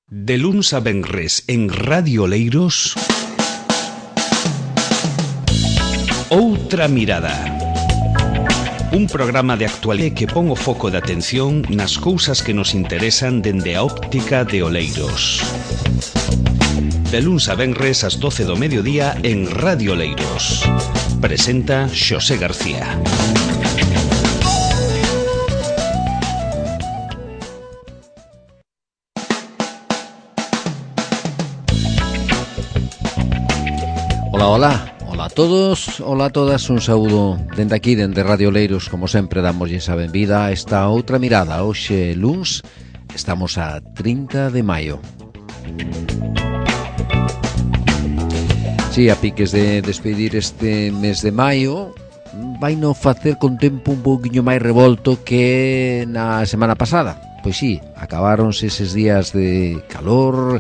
De luns a venres en Radio Oleiros, Outra Mirada. Un programa de actualidade que pon o foco de atención nas cousas que nos interesan dende a óptica de Oleiros. De luns a venres ás 12 do mediodía en Radio Oleiros. Presenta Xosé García. Ola a todos, ola a todas, un saúdo dende aquí, dende Radio Oleiros. Como sempre, damoslle a benvida a esta outra mirada. Hoxe, luns, estamos a 30 de maio. Si, a piques de despedir este mes de maio, vai no facer con tempo un pouquiño máis revolto que na semana pasada. Pois sí, acabáronse eses días de calor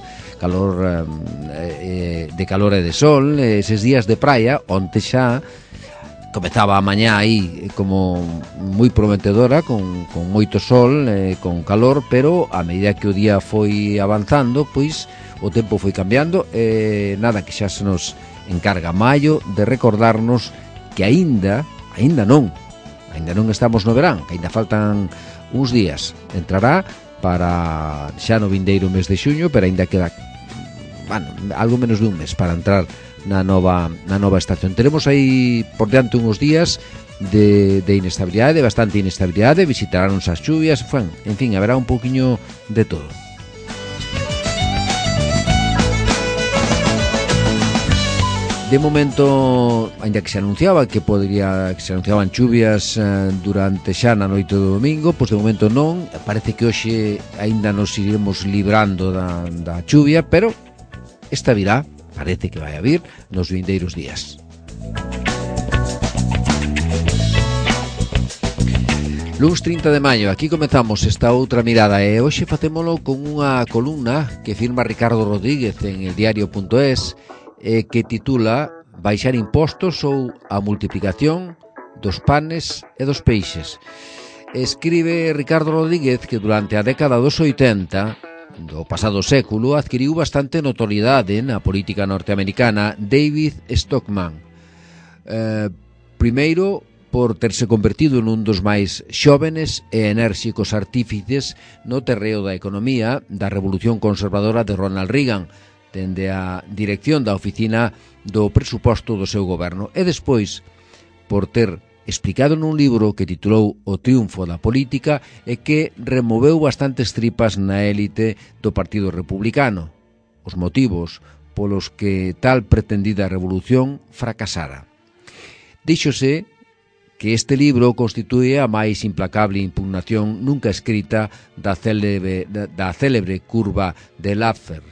e de sol, eses días de praia, onte xa comezaba a mañá aí como moi prometedora, con moito sol, con calor, pero a medida que o día foi avanzando, pois o tempo foi cambiando, nada, que xa se nos encarga maio de recordarnos que aínda non estamos no verán, que aínda faltan uns días. Entrará para xa no vindeiro mes de xuño, pero aínda queda algo menos de un mes para entrar na nova estación. Teremos aí por diante uns días de inestabilidade, de bastante inestabilidade, visitaránnos as chuvias, en fin, haberá un pouquiño de todo. De momento, ainda que se anunciaba que se anunciaban chuvias durante xa na noite do domingo, pois de momento non. Parece que hoxe aínda nos iremos librando da chuvia, pero esta virá, parece que vai a vir nos vindeiros días. Luns 30 de maio, aquí comezamos esta outra mirada e hoxe facémolo con unha columna que firma Ricardo Rodríguez en el diario.es, que titula Baixar impostos ou a multiplicación dos panes e dos peixes. Escribe Ricardo Rodríguez que durante a década dos 80 do pasado século adquiriu bastante notoriedade na política norteamericana David Stockman. Primeiro, por terse convertido nun dos máis xóvenes e enérxicos artífices no terreo da economía da revolución conservadora de Ronald Reagan, dende a dirección da oficina do presuposto do seu goberno, e despois por ter explicado nun libro que titulou O triunfo da política e que removeu bastantes tripas na élite do Partido Republicano, os motivos polos que tal pretendida revolución fracasara. Díxose que este libro constitúe a máis implacable impugnación nunca escrita da célebre curva de Laffer,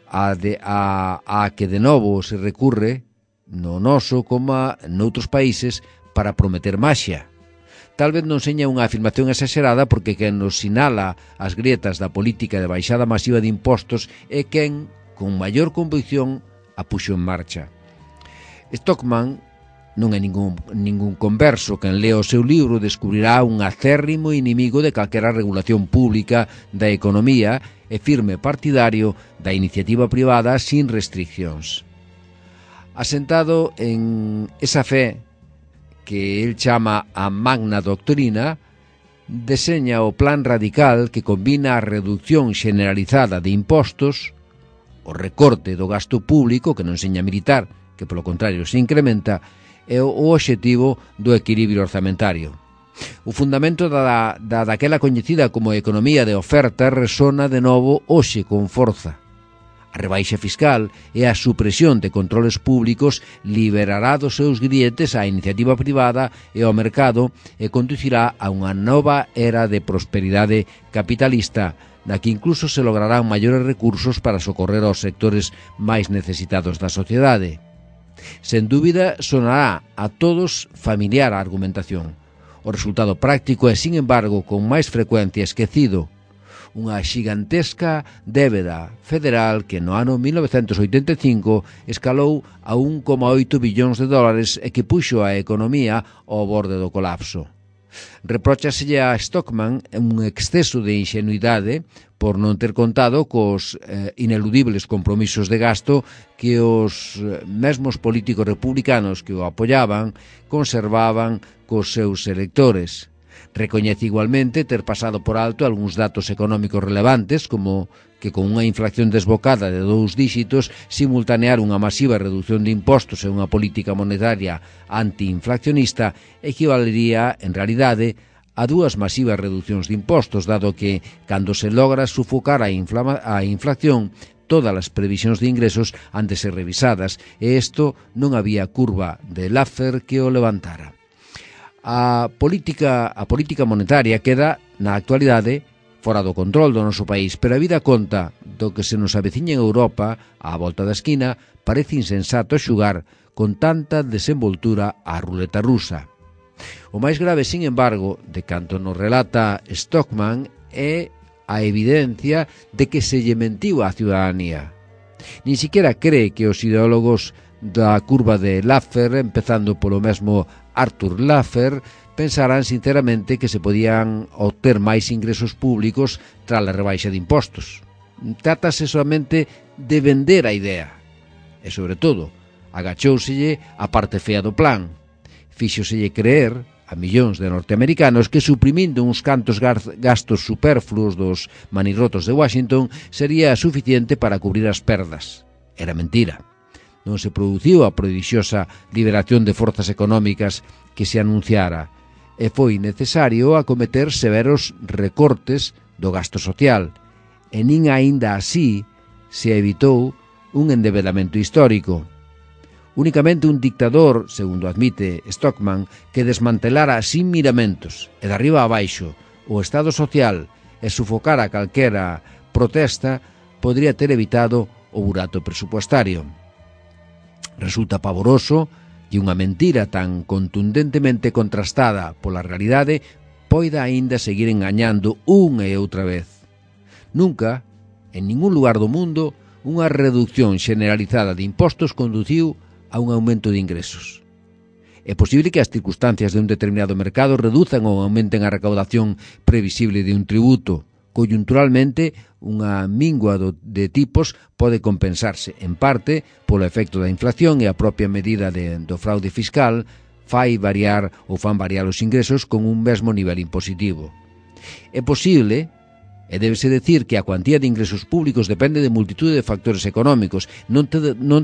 a que de novo se recurre no noso como noutros países para prometer maxia. Tal vez non seña unha afirmación exagerada, porque quen nos sinala as grietas da política de baixada masiva de impostos é quen, con maior convicción, a puxo en marcha. Stockman non é ningún converso. Quen lea o seu libro descubrirá un acérrimo inimigo de calquera regulación pública da economía e firme partidario da iniciativa privada sin restriccións. Asentado en esa fe que el chama a magna doctrina, deseña o plan radical que combina a reducción generalizada de impostos, o recorte do gasto público, que non seña militar, que polo contrario se incrementa, e o obxectivo do equilibrio orzamentario. O fundamento daquela coñecida como economía de oferta resona de novo hoxe con forza. A rebaixa fiscal e a supresión de controles públicos liberará dos seus grietes a iniciativa privada e ao mercado e conducirá a unha nova era de prosperidade capitalista, na que incluso se lograrán maiores recursos para socorrer aos sectores máis necesitados da sociedade. Sen dúbida, sonará a todos familiar a argumentación. O resultado práctico é, sin embargo, con máis frecuencia esquecido. Unha xigantesca débeda federal que no ano 1985 escalou a 1,8 billóns de dólares e que puxo a economía ao borde do colapso. Repróchaselle a Stockman un exceso de ingenuidade por non ter contado cos ineludibles compromisos de gasto que os mesmos políticos republicanos que o apoyaban conservaban cos seus electores. Recoñece igualmente ter pasado por alto algúns datos económicos relevantes, como que con unha inflación desbocada de 2 díxitos, simultanear unha masiva reducción de impostos e unha política monetaria antiinflacionista equivalería, en realidade, a 2 masivas reduccións de impostos, dado que, cando se logra sufocar a inflación, todas as previsións de ingresos han de ser revisadas, e isto non había curva de Laffer que o levantara. A política monetaria queda, na actualidade, fora do control do noso país, pero a vida conta do que se nos aveciña en Europa, á volta da esquina, parece insensato xugar con tanta desenvoltura á ruleta rusa. O máis grave, sin embargo, de canto nos relata Stockman, é a evidencia de que se lle mentiu á ciudadanía. Ni siquiera cree que os ideólogos da curva de Laffer, empezando polo mesmo Arthur Laffer, pensarán sinceramente que se podían obter máis ingresos públicos tras a rebaixa de impostos. Trátase solamente de vender a idea. E, sobre todo, agachóuselle a parte fea do plan. Fíxoselle creer a millóns de norteamericanos que, suprimindo uns cantos gastos superfluos dos manirrotos de Washington, sería suficiente para cubrir as perdas. Era mentira. Non se produciu a prodixiosa liberación de forzas económicas que se anunciara, e foi necesario acometer severos recortes do gasto social, e nin aínda así se evitou un endebedamento histórico. Únicamente un dictador, segundo admite Stockman, que desmantelara sin miramentos e de arriba a baixo o Estado social e sufocara calquera protesta podría ter evitado o burato presupuestario. Resulta pavoroso que unha mentira tan contundentemente contrastada pola realidade poida aínda seguir engañando unha e outra vez. Nunca, en ningún lugar do mundo, unha reducción generalizada de impostos conduciu a un aumento de ingresos. É posible que as circunstancias de un determinado mercado reduzan ou aumenten a recaudación previsible de un tributo. Coyunturalmente, unha mingua de tipos pode compensarse, en parte, polo efecto da inflación, e a propia medida do fraude fiscal fan variar os ingresos con un mesmo nivel impositivo. É posible, e débese decir, que a cuantía de ingresos públicos depende de multitude de factores económicos, non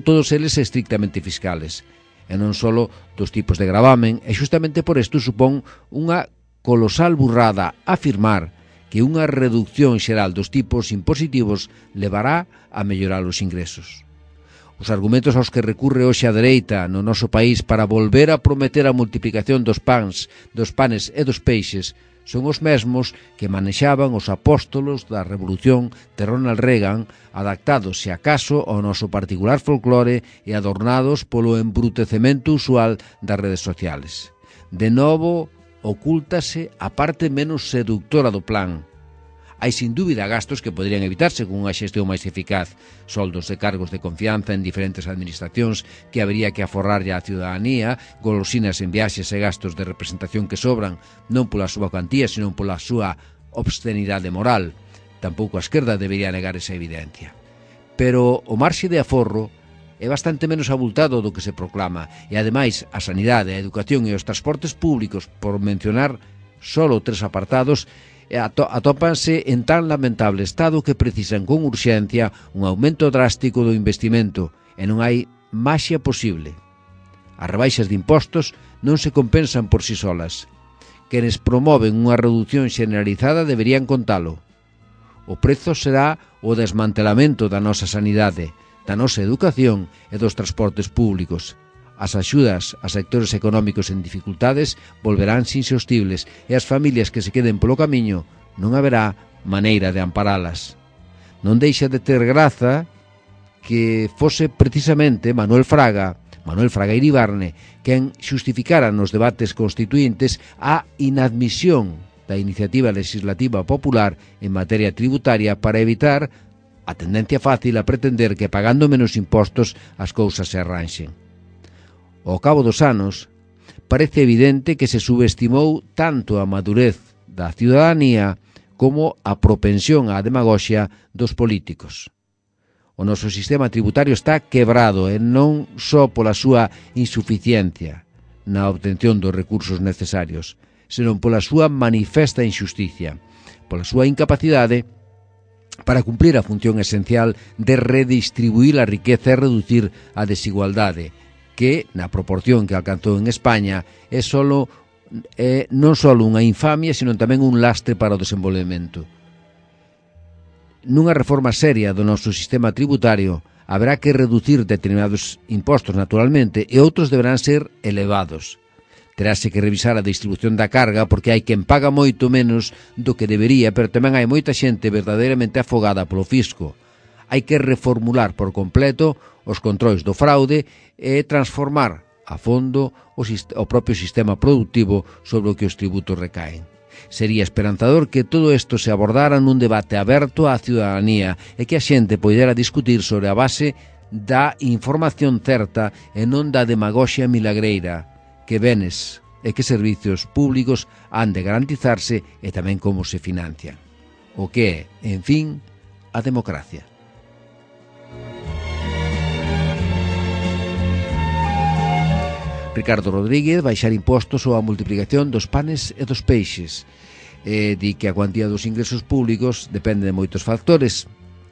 todos eles estrictamente fiscales, e non só dos tipos de gravamen, e xustamente por isto supón unha colosal burrada afirmar que unha reducción xeral dos tipos impositivos levará a mellorar os ingresos. Os argumentos aos que recurre hoxe a dereita no noso país para volver a prometer a multiplicación dos panes e dos peixes son os mesmos que manexaban os apóstolos da Revolución de Ronald Reagan, adaptados, se acaso, ao noso particular folclore e adornados polo embrutecemento usual das redes sociales. De novo, ocúltase a parte menos seductora do plan. Hai sin dúbida gastos que poderían evitarse con unha xestión máis eficaz, soldos de cargos de confianza en diferentes administracións que habería que aforrarlle á ciudadanía, golosinas en viaxes e gastos de representación que sobran non pola súa cuantía, senón pola súa obscenidade moral. Tampouco a esquerda debería negar esa evidencia. Pero o marxe de aforro é bastante menos abultado do que se proclama, e ademais a sanidade, a educación e os transportes públicos, por mencionar solo 3 apartados, atópanse en tan lamentable estado que precisan con urxencia un aumento drástico do investimento, e non hai maxia posible. As rebaixas de impostos non se compensan por si solas. Quenes promoven unha reducción generalizada deberían contalo. O prezo será o desmantelamento da nosa sanidade, da nosa educación e dos transportes públicos. As axudas a sectores económicos en dificultades volverán insostibles e as familias que se queden polo camiño non haberá maneira de amparalas. Non deixa de ter graza que fose precisamente Manuel Fraga Iribarne quen xustificara nos debates constituíntes a inadmisión da iniciativa legislativa popular en materia tributaria para evitar a tendencia fácil a pretender que pagando menos impostos as cousas se arranxen. Ao cabo dos anos, parece evidente que se subestimou tanto a madurez da ciudadanía como a propensión á demagoxia dos políticos. O noso sistema tributario está quebrado e non só pola súa insuficiencia na obtención dos recursos necesarios, senón pola súa manifesta injusticia, pola súa incapacidade para cumplir a función esencial de redistribuir a riqueza e reducir a desigualdade, que, na proporción que alcanzou en España, non só unha infamia, sino tamén un lastre para o desenvolvemento. Nunha reforma seria do noso sistema tributario, haberá que reducir determinados impostos, naturalmente, e outros deberán ser elevados. Terase que revisar a distribución da carga, porque hai quen paga moito menos do que debería, pero tamén hai moita xente verdadeiramente afogada polo fisco. Hai que reformular por completo os controis do fraude e transformar a fondo o propio sistema productivo sobre o que os tributos recaen. Sería esperanzador que todo isto se abordara nun debate aberto á ciudadanía e que a xente poidera discutir sobre a base da información certa e non da demagoxia milagreira, que benes e que servicios públicos han de garantizarse e tamén como se financian. O que é, en fin, a democracia. Ricardo Rodríguez baixar impostos ou a multiplicación dos panes e dos peixes. Di que a cuantía dos ingresos públicos depende de moitos factores,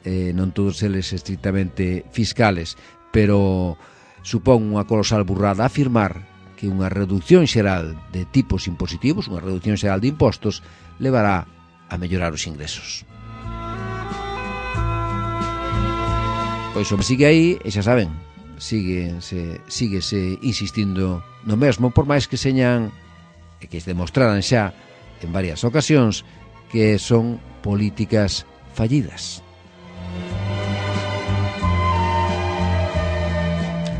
non todos eles estrictamente fiscales, pero supón unha colosal burrada afirmar que unha reducción xeral de tipos impositivos, unha reducción xeral de impostos, levará a mellorar os ingresos. Pois o sigue aí, e xa saben, síguese insistindo no mesmo, por máis que señan e que demostraran xa en varias ocasións que son políticas fallidas.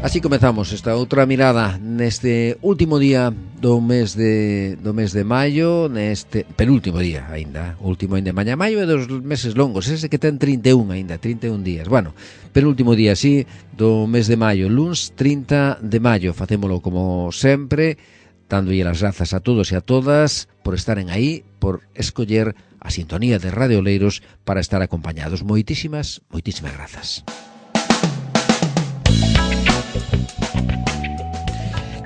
Así comezamos esta outra mirada neste último día do mes de maio, neste penúltimo día aínda, último aínda mañá. Maio é dos meses longos, ese que ten 31 aínda, 31 días. Bueno, penúltimo día, sí, do mes de maio, luns 30 de maio. Facémolo como sempre, dándolle as grazas a todos e a todas por estaren aí, por escoller a sintonía de Radio Oleiros para estar acompañados. Moitísimas grazas.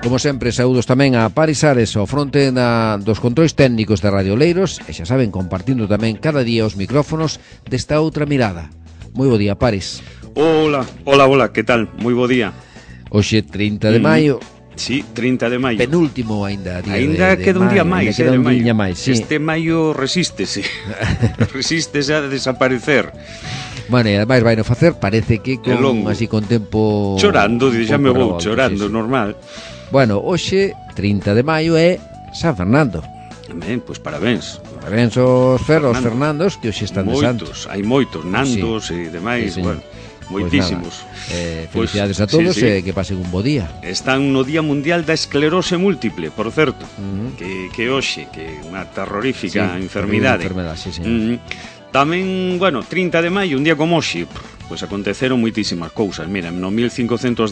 Como sempre, saúdos tamén a Paris Ares ao fronte dos controis técnicos de Radio Oleiros e xa saben, compartindo tamén cada día os micrófonos desta outra mirada. Moi bo día, Paris. Hola, que tal? Moi bo día. Hoxe 30 de maio. Sí, 30 de maio. Penúltimo aínda día ainda de queda un día maio, máis, queda un de maio. día máis, sí. Este maio resístese. Resístese a desaparecer. Bueno, e ademais vai no facer, parece que así con tempo chorando, xa me vou chorando, sí. Normal. Bueno, hoxe 30 de maio é San Fernando. Ben, pois parabéns. Parabéns aos Fernandos que hoxe están de santo. Hai moitos, Nandos e demais, sí, bueno, moitísimos. Felicidades a todos e que pasen un bo día. Están no Día Mundial da Esclerose Múltiple, por certo, que hoxe, que é unha terrorífica enfermidade. Sí. Tamén, bueno, 30 de maio, un día como hoxe, pois aconteceron moitísimas cousas. Mira, no 1516,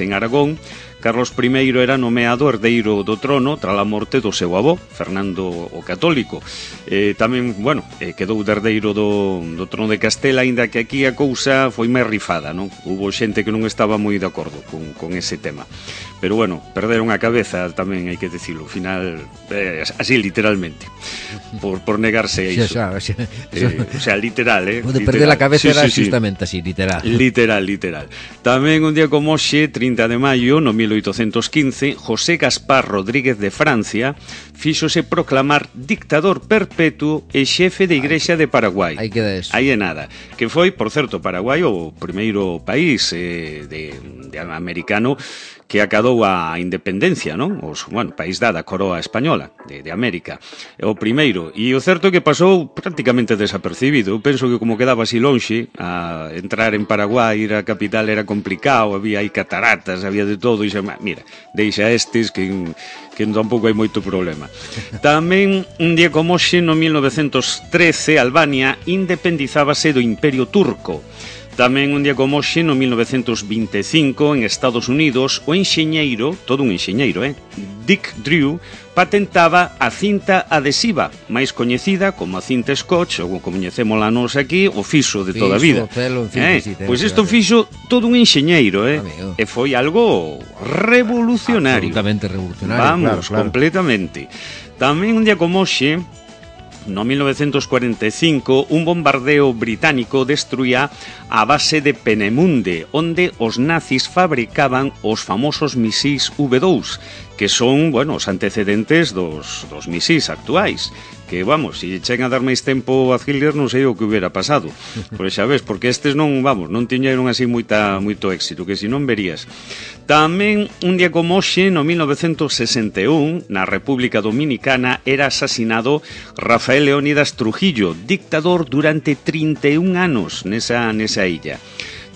en Aragón, Carlos I era nomeado herdeiro do trono tras a morte do seu avó, Fernando o Católico. Tamén, bueno, quedou de herdeiro do trono de Castela, aínda que aquí a cousa foi máis rifada, non? Hubo xente que non estaba moi de acordo con ese tema. Pero, bueno, perderon a cabeza tamén, hai que dicilo, ao final, así literalmente, por negarse a iso. O sea, literal, O de perder a cabeza era justamente así, literal. Literal. Tamén un día como hoxe, 30 de maio, no 1815, José Gaspar Rodríguez de Francia fíxose proclamar dictador perpetuo e xefe de Igrexa de Paraguai. Aí queda eso. Aí é nada. Que foi, por certo, Paraguai o primeiro país de americano que acadou a independencia, non? País da coroa española de América. O primeiro. E o certo é que pasou prácticamente desapercibido. Eu penso que como quedaba así lonxe, a entrar en Paraguai, ir á capital era complicado, había aí cataratas, había de todo, e xa, mira, deixa estes que tampouco hai moito problema. Tamén, un día como hoxe, no 1913, Albania independizábase do Imperio Turco. Tamén un día como hoxe, no 1925, en Estados Unidos, o enxeñeiro, todo un enxeñeiro, Dick Drew, patentaba a cinta adhesiva, máis coñecida como a cinta Scotch, ou como coñecémola nos aquí, o fiso de toda a vida. Pois isto fixo todo un enxeñeiro, e foi algo revolucionario. Absolutamente revolucionario, vamos, claro. Completamente. Tamén un día como hoxe, no 1945, un bombardeo británico destruía a base de Peenemünde, onde os nazis fabricaban os famosos misís V2, que son, bueno, os antecedentes dos misís actuais. Que, vamos, se chega a dar máis tempo a Hitler, non sei o que hubiera pasado. Por xa ves, porque estes non tiñeron así moito éxito, que se non verías. Tamén, un día como hoxe, no 1961, na República Dominicana, era asasinado Rafael Leónidas Trujillo, dictador durante 31 anos nesa illa.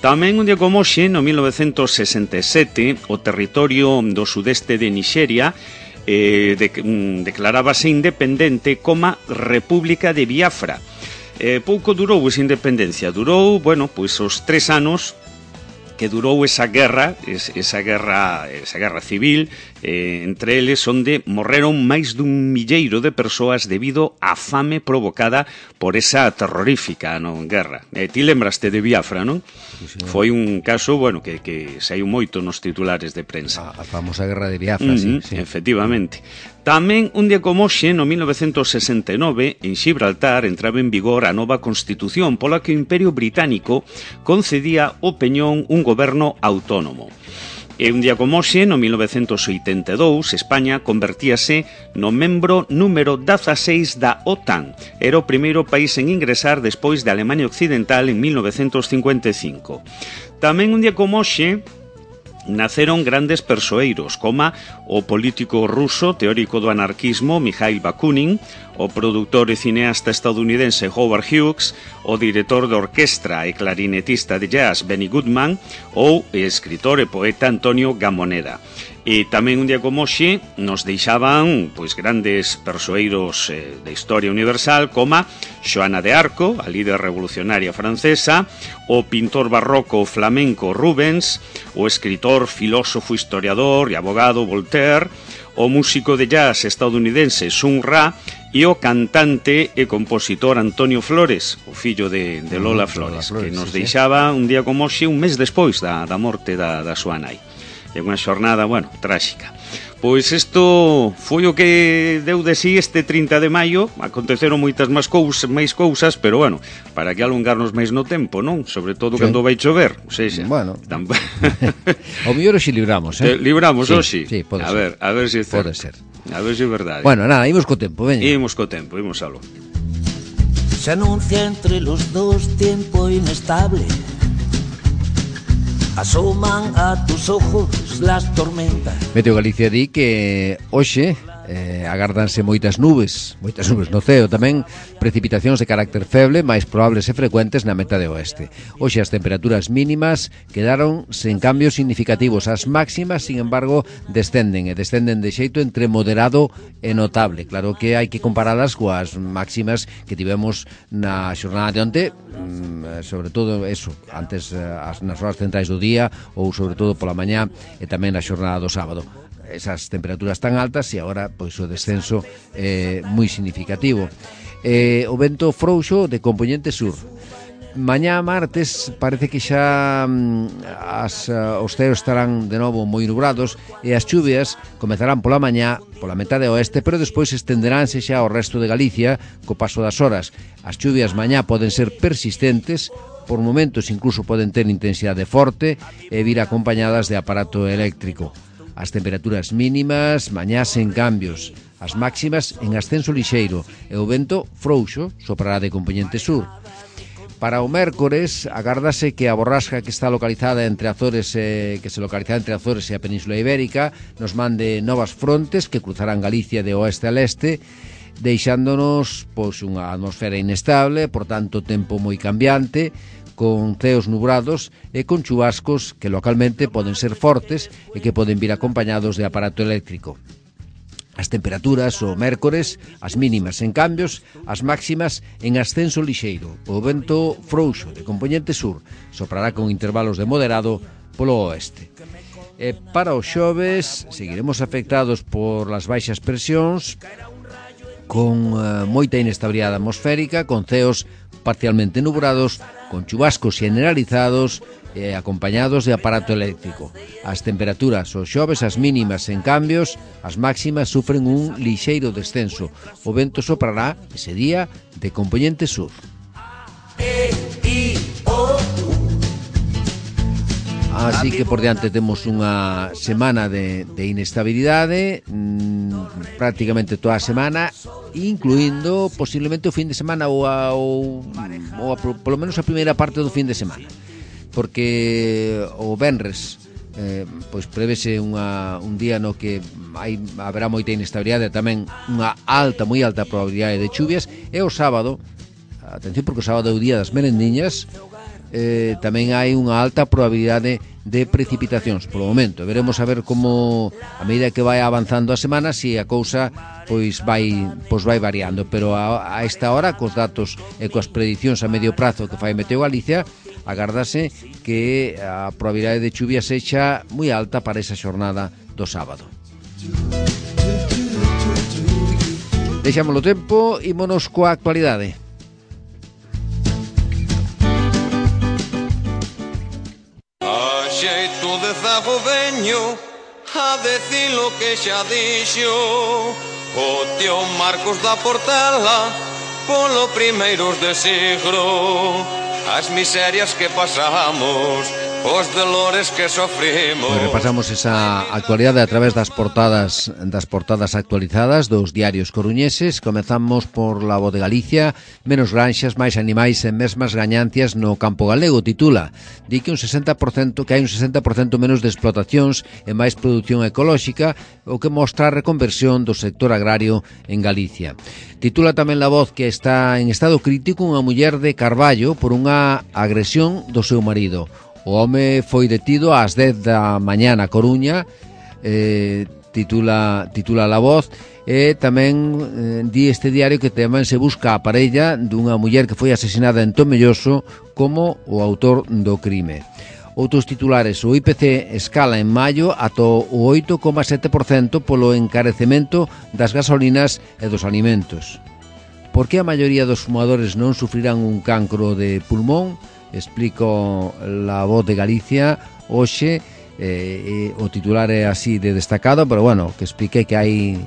Tamén un día como hoxe, no 1967, o territorio do sudeste de Nixeria declarábase independente como República de Biafra. Pouco durou esa independencia, durou, pois os 3 anos que durou esa guerra civil, entre eles onde morreron máis dun milleiro de persoas debido á fame provocada por esa terrorífica guerra. Ti lembraste de Biafra, non? Sí, foi un caso, que saiu moito nos titulares de prensa. A famosa guerra de Biafra, sí. Efectivamente. Tamén, un día como hoxe, no 1969, en Xibraltar entraba en vigor a nova Constitución pola que o Imperio Británico concedía ao Peñón un goberno autónomo. E un día como hoxe, no 1982, España convertíase no membro número 16 da OTAN. Era o primeiro país en ingresar despois de Alemania Occidental en 1955. Tamén un día como hoxe, naceron grandes persoeiros, como o político ruso teórico do anarquismo Mikhail Bakunin, o produtor e cineasta estadounidense Howard Hughes, o director de orquestra e clarinetista de jazz Benny Goodman, ou o escritor e poeta Antonio Gamoneda. E tamén un día como hoxe nos deixaban grandes persoeiros da historia universal como Xoana de Arco, a líder revolucionaria francesa, o pintor barroco flamenco Rubens, o escritor, filósofo, historiador e abogado Voltaire, o músico de jazz estadounidense Sun Ra e o cantante e compositor Antonio Flores, o fillo de Lola Flores, que nos deixaba un día como hoxe, un mes despois da morte da súa nai. É unha xornada, tráxica. Pois isto foi o que deu de sí este 30 de maio. Aconteceron moitas máis cousas, pero para que alongarnos máis no tempo, non? Sobre todo cando vai chover. O sea, o mellor hoxe libramos, Libramos hoxe? Sí, pode ser. A ver se é certo. Pode ser. A ver se é verdade. Nada, imos co tempo, veña. Imos co tempo, imos algo. Se anuncia entre los dos tiempo inestable. Asoman a tus ojos las tormentas. Meteo Galicia di que hoxe agárdanse moitas nubes no ceo, tamén precipitacións de carácter feble, máis probables e frecuentes na metade oeste. Hoxe as temperaturas mínimas quedaron sen cambios significativos. As máximas, sin embargo, descenden de xeito entre moderado e notable. Claro que hai que comparalas coas máximas que tivemos na xornada de onte, sobre todo eso, antes nas horas centrais do día, ou sobre todo pola mañá e tamén na xornada do sábado. Esas temperaturas tan altas e agora pois o descenso é moi significativo. O vento frouxo de compoñente sur. Mañá martes parece que xa os ceos estarán de novo moi nubrados e as chuvias comezarán pola mañá pola metade oeste, pero despois estenderánse xa ao resto de Galicia co paso das horas. As chuvias mañá poden ser persistentes, por momentos incluso poden ter intensidade forte e vir acompañadas de aparato eléctrico. As temperaturas mínimas mañá sen cambios, as máximas en ascenso lixeiro e o vento frouxo soprará de compoñente sur. Para o mércores agárdase que a borrasca que está localizada entre Azores e a Península Ibérica nos mande novas frontes que cruzarán Galicia de oeste a leste, deixándonos unha atmosfera inestable, por tanto tempo moi cambiante, con ceos nubrados e con chubascos que localmente poden ser fortes e que poden vir acompañados de aparato eléctrico. As temperaturas o mércores, as mínimas en cambios, as máximas en ascenso lixeiro. O vento frouxo de compoñente sur soprará con intervalos de moderado polo oeste. E para os xoves seguiremos afectados por las baixas presións, con moita inestabilidade atmosférica, con ceos parcialmente nubrados, con chubascos generalizados e acompañados de aparato eléctrico. As temperaturas os xoves, as mínimas en cambios, as máximas sufren un lixeiro descenso. O vento soprará ese día de compoñente sur. Así que por diante temos unha semana de inestabilidade, prácticamente toda a semana, incluindo posiblemente o fin de semana ou polo menos a primeira parte do fin de semana, porque o venres pois prevese un día no que haberá moita inestabilidade, tamén unha moi alta probabilidade de chuvias, e o sábado, atención porque o sábado é o día das merendiñas, tamén hai unha alta probabilidade de precipitacións polo momento. Veremos a ver como a medida que vai avanzando a semana se a cousa pois vai variando, pero a esta hora cos datos e coas predicións a medio prazo que fai Meteo Galicia, agárdase que a probabilidade de chuvia sexa moi alta para esa xornada do sábado. Deixamos o tempo, ímonos coa actualidade. Xeito de zago veño a decir lo que xa dixo o tío Marcos da Portela polo primeiros de siglo, as miserias que pasamos, os dolores que sofrimos. Pues repasamos esa actualidade a través das portadas actualizadas dos diarios coruñeses. Comezamos por La Voz de Galicia. Menos granxas, máis animais e mesmas gañancias no campo galego, titula. Di que hai un 60% menos de explotacións e máis produción ecolóxica, o que mostra a reconversión do sector agrario en Galicia. Titula tamén La Voz que está en estado crítico unha muller de Carballo por unha agresión do seu marido. O home foi detido ás 10 da mañá na Coruña, titula La Voz, e tamén di este diario que tamén se busca a parella dunha muller que foi asesinada en Tomelloso como o autor do crime. Outros titulares: o IPC escala en maio ata o 8,7% polo encarecemento das gasolinas e dos alimentos. Por que a maioría dos fumadores non sufrirán un cancro de pulmón? Explico La Voz de Galicia hoxe, o titular é así de destacado, pero bueno, que explique que hai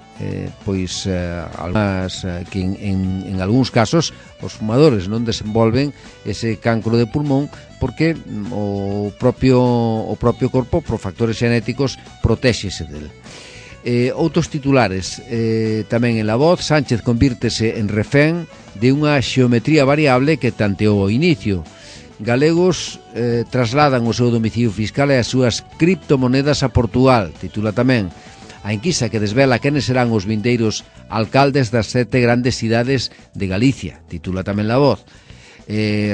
algunhas que en algúns casos os fumadores non desenvolven ese cancro de pulmón porque o propio corpo, por factores xenéticos, protéxese del. Outros titulares tamén en La Voz: Sánchez convírtese en refén de unha xeometría variable que tanteou o inicio. Galegos trasladan o seu domicilio fiscal e as súas criptomonedas a Portugal, titula tamén. A enquisa que desvela quenes serán os vindeiros alcaldes das 7 grandes cidades de Galicia, titula tamén La Voz.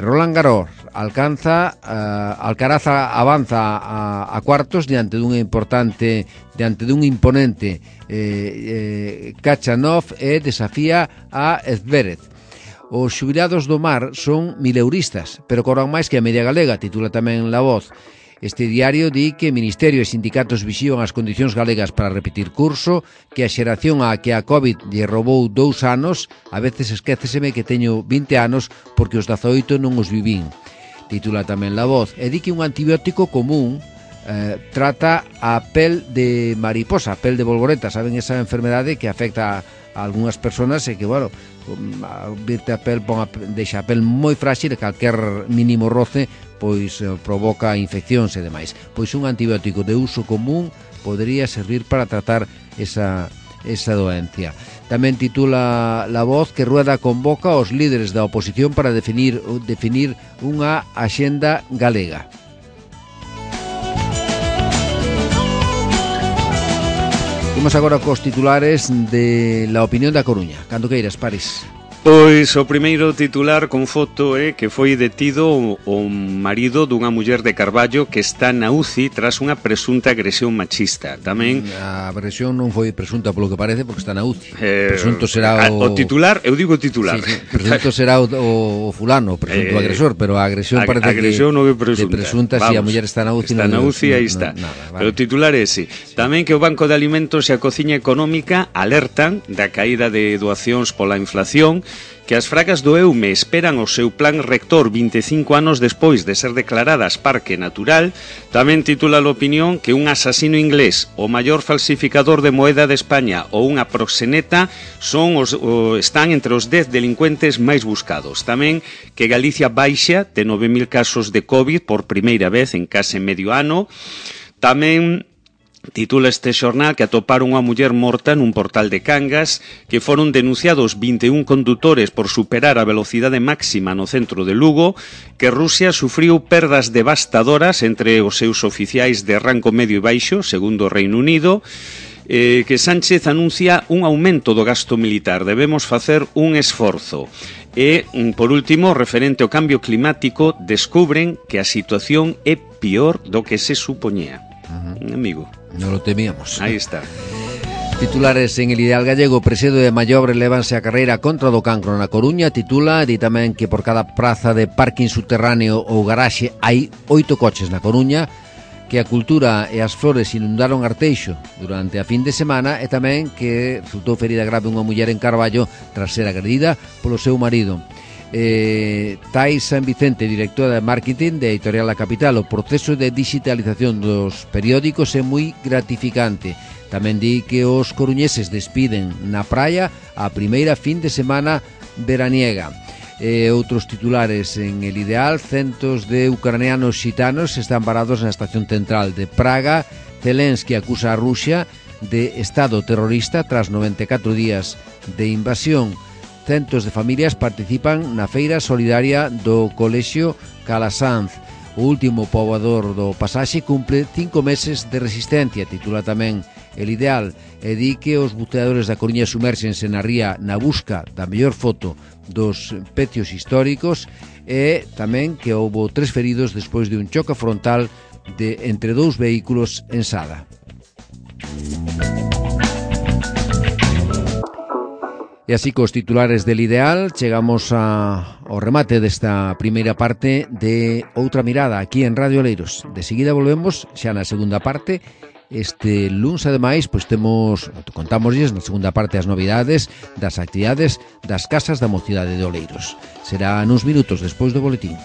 Roland Garros Alcaraz avanza a cuartos diante dun imponente Khachanov e desafía a Zverev. Os xubilados do mar son mileuristas, pero cobran máis que a media galega, titula tamén La Voz. Este diario di que Ministerio e sindicatos vixían as condicións galegas para repetir curso, que a xeración a que a COVID lle roubou 2 anos, a veces esquéceseme que teño 20 anos porque os 18 non os vivín, titula tamén La Voz. E di que un antibiótico común trata a pel de mariposa, a pel de bolboreta, saben esa enfermedade que afecta a algunhas persoas e que, bueno, virte a pel, deixa a pel moi frágil e calquer mínimo roce pois provoca infeccións e demais. Pois un antibiótico de uso común podería servir para tratar esa doencia. Tamén titula La Voz que Rueda convoca aos líderes da oposición para definir unha axenda galega. Vamos agora cos titulares de La Opinión da Coruña. Cando queiras, Paris. Pois o primeiro titular con foto é que foi detido o marido dunha muller de Carballo que está na UCI tras unha presunta agresión machista. Tamén a agresión non foi presunta polo que parece porque está na UCI. Presunto será o titular, eu digo titular. Sí, presunto será o fulano, presunto agresor, pero a agresión parece agresión que non é presunta. De presunta, si a muller está na UCI. Está na UCI, aí está. Nada, vale. Pero o titular é ese. Tamén que o Banco de Alimentos e a Cociña Económica alertan da caída de doacións pola inflación, que as fragas do EUME esperan o seu plan rector 25 anos despois de ser declaradas parque natural. Tamén titula a opinión que un asasino inglés, o maior falsificador de moeda de España ou unha proxeneta están entre os 10 delincuentes máis buscados. Tamén que Galicia baixa de 9.000 casos de COVID por primeira vez en case medio ano. Tamén titula este xornal que atoparon unha muller morta nun portal de Cangas, que foron denunciados 21 condutores por superar a velocidade máxima no centro de Lugo, que Rusia sufriu perdas devastadoras entre os seus oficiais de rango medio e baixo, segundo o Reino Unido, que Sánchez anuncia un aumento do gasto militar, debemos facer un esforzo. E, por último, referente ao cambio climático, descubren que a situación é pior do que se supoñía. Amigo, non lo temíamos. Aí está. Titulares en El Ideal Gallego. Presedo de Mallobre levanse a carreira contra do cancro na Coruña. Titula, di tamén que por cada praza de parking subterráneo ou garaxe hai 8 coches na Coruña, que a cultura e as flores inundaron Arteixo durante a fin de semana, e tamén que resultou ferida grave unha muller en Carballo tras ser agredida polo seu marido. Tais San Vicente, directora de marketing de Editorial La Capital: o proceso de digitalización dos periódicos é moi gratificante. Tamén di que os coruñeses despiden na praia a primeira fin de semana veraniega. Outros titulares en El Ideal: centos de ucranianos xitanos están parados na estación central de Praga. Zelensky acusa a Rusia de estado terrorista tras 94 días de invasión. Centos de familias participan na feira solidaria do Colexio Calasanz. O último poboador do Pasaxe cumple 5 meses de resistencia, titula tamén El Ideal, e di que os buceadores da Coruña sumerxense na ría na busca da mellor foto dos pecios históricos, e tamén que houbo 3 feridos despois de un choque frontal entre 2 vehículos en Sada. E así cos titulares del Ideal chegamos ao remate desta primeira parte de Outra Mirada aquí en Radio Oleiros. De seguida volvemos xa na segunda parte. Este luns, ademais, contámoslles na segunda parte as novidades das actividades das Casas da Mocidade de Oleiros. Será nuns minutos despois do boletín.